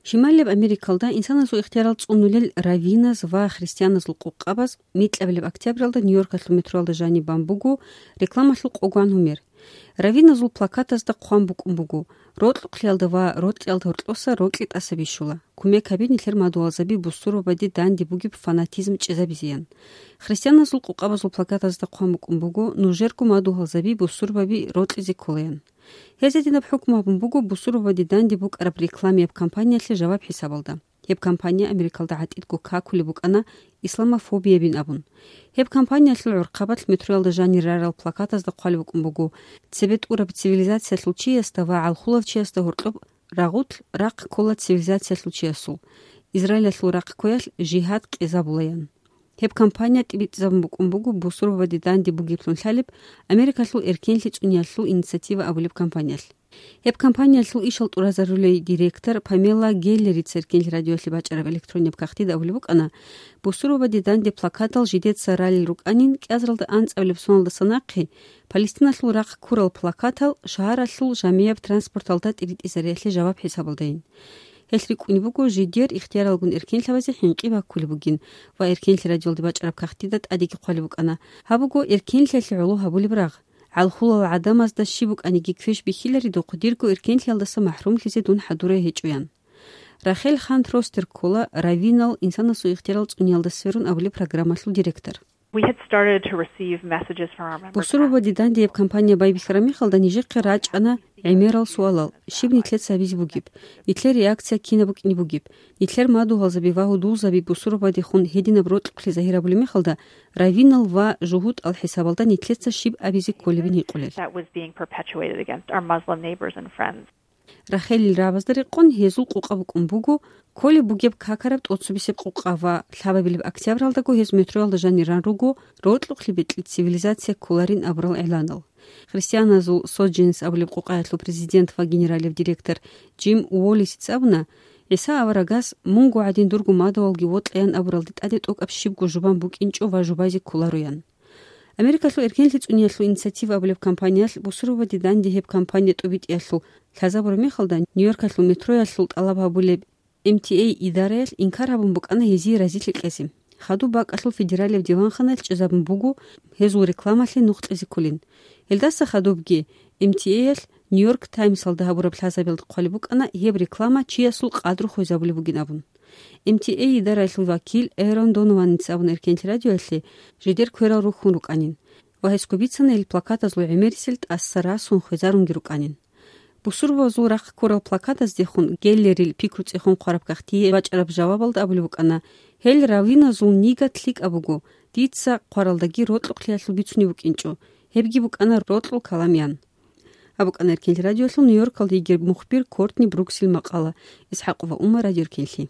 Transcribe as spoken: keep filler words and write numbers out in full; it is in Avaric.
Шималияб Америкалда инсанасул ихтиярал цӀунулел раввиназ ва христианазул къукъабаз микьабилеб октябралда Нью-Йоркалъул метроялда жаниб бан буго рекламалъул къогван гьумер. Раввиназул плакатазда хъван букӀун буго: «Рокьукълиялда ва рокьиялда гьоркьоса рокьи тӀаса бищула. Кумек гьабе, нилъер мадугьалзаби бусурбабаде данде бугеб фанатизм чӀезабизеян». Христианазул къукъабазул плакатазда хъван букӀун буго: «Нужерго мадугьалзаби бусурбаби рокьизе кколаян». Гьез гьединаб хӀукму гьабун буго бусурбабаде данде букӀараб рекламияб кампаниялъе жаваб хӀисабалда. Гьеб кампания Америкалда гӀатӀидго какулеб букӀана исламофобиябин абун. Гьеб кампаниялъул гӀурхъабалъ метроялда жанир рарал плакатазда хъвалеб букӀун буго: «Цебе тӀураб цивилизациялъул чиясда ва гӀалхулав чиясда гьоркьоб рагъулъ рахъ ккола цивилизациялъул чиясул. Израилалъул рахъ кквеялъ жигьад кьезабулаян». Гьеб кампания тӀибитӀизабун букӀун буго бусурбабаде данде бугеблъун лъалеб Америкалъул эркенлъи цӀуниялъул инициатива абулеб кампаниялъ. Гьеб кампаниялъул ишал тӀуразарулей директор Памела Геллерица Эркенлъи радиоялъе бачӀараб электроннияб кагътида абулеб букӀана: «Бусурбабаде данде плакатал жидеца ралел рукӀанин, кӀиазаралда анцӀабилеб соналдаса нахъе Палестиналъул рахъ ккурал плакатал шагьаралъул жамияб транспорталда тӀиритӀизариялъе жаваб хӀисабалдайин. Гьелъ рикӀкӀунеб буго жидер ихтияралгун эркенлъабазе хӀинкъи баккулеб бугин ва Эркенлъи радиоялде бачӀараб кагътида тӀадеги хъвалеб букӀана: Гьаб буго эркенлъиялъе гӀоло гьабулеб рагъ. ГӀалхулал гӀадамазда щиб букӀаниги квеш бихьиларедухъ, дирго эркенлъиялдаса махрумлъизе дун хӀадурай гьечӀоян». Рахел Хант-Ростер ккола «Раввинал инсанасул ихтиярал цӀуниялда сверун» абулеб программалъул директор. We had started to receive messages from our member Бусурбабаде данде гьеб кампания байбихьараб мехалда нижехъе рачӀана гӀемерал суалал: щиб нилъеца гьабизе бугеб? Нилъер реакция кинаб букӀине бугеб? Нилъер мадугьалзаби ва гьудулзаби бусурбабадехун гьединаб рокьукълъи загьирабулеб мехалда, раввинал ва жугьутӀал хӀисабалда нилъеца щиб абизе кколебин гьикъулел. That was being perpetuated against our Muslim neighbors and friends. Рахелил рагӀабазда рекъон гьезул къукъа букӀун буго кколеб бугеб какараб тӀоцебесеб къукъа ва лъабабилеб октябралдаго гьез метроялда жанир ран руго рокьукълъи бекьи цивилизация кколарин абурал гӀиланал. Христианазул Содженс абулеб къукъаялъул президент ва генералияб директор Джим Уоллисица абуна: «ГӀиса аварагас: Мунго гӀадин дурго мадугьалги вокьаян абуралде тӀаде тӀокӀаб щибго жубан букӀинчӀо ва жубазе кколароян». Америкалъул эркенлъи цӀуниялъул инициатива абулеб кампаниялъ бусурбабаде данде гьеб кампания тӀубитӀиялъул лъазабураб мехалда, Нью-Йоркалъул метроялъул тӀалаб гьабулеб М Т А идараялъ инкар гьабун букӀана гьезие разилъи кьезе. Хадуб бакӀалъул федералияб диванханаялъ чӀезабун буго гьезул рекламалъе нух кьезе кколин. Гьелдаса хадубги М Т А-ялъ Нью-Йорк Таймсалда гьабураб лъазабиялда хъвалеб букӀана гьеб реклама чиясул къадру хвезабулеб бугин абун. М Т А идараялъул вакил Эрон Донованица абун Эркенлъи радиоялъе жидер кверал рухьун рукӀанин ва гьесго бицана гьел плакатазул гӀемерисел тӀаса расун хвезарунги рукӀанин. Бусурбабазул рахъ ккурал плакатаздехун Геллерил пикруцӀехун хъвараб кагътие бачӀараб жавабалда абулеб букӀана: «Гьел раввиназул нигат лъикӀаб буго, дица хъваралдаги рокьукълъиялъул бицунеб букӀинчӀо, гьебги букӀана рокьул калам», – ян. Гьаб букӀана Эркенлъи радиоялъул Нью-Йоркалда йигеб мухбир Кортни Бруксил макъала. ИсхӀакъова Умма, Радио Эркенлъи.